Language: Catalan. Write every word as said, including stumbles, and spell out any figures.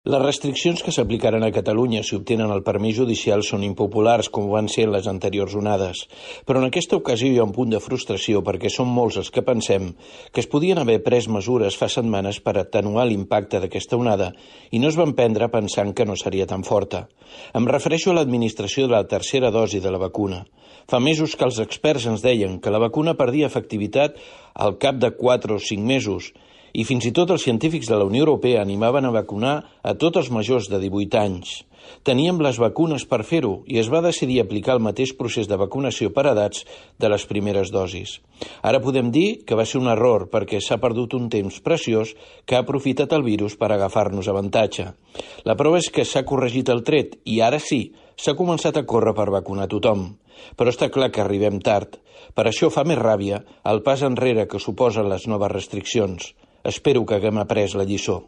Les restriccions que s'aplicaran a Catalunya si obtenen el permís judicial són impopulars, com van ser en les anteriors onades. Però en aquesta ocasió hi ha un punt de frustració perquè som molts els que pensem que es podien haver pres mesures fa setmanes per atenuar l'impacte d'aquesta onada i no es van prendre pensant que no seria tan forta. Em refereixo a l'administració de la tercera dosi de la vacuna. Fa mesos que els experts ens deien que la vacuna perdia efectivitat al cap de quatre o cinc mesos i fins i tot els científics de la Unió Europea animaven a vacunar a tots els majors de divuit anys. Teníem les vacunes per fer-ho i es va decidir aplicar el mateix procés de vacunació per edats de les primeres dosis. Ara podem dir que va ser un error perquè s'ha perdut un temps preciós que ha aprofitat el virus per agafar-nos avantatge. La prova és que s'ha corregit el tret i ara sí, s'ha començat a córrer per vacunar tothom. Però està clar que arribem tard. Per això fa més ràbia el pas enrere que suposen les noves restriccions. Espero que haguem après la lliçó.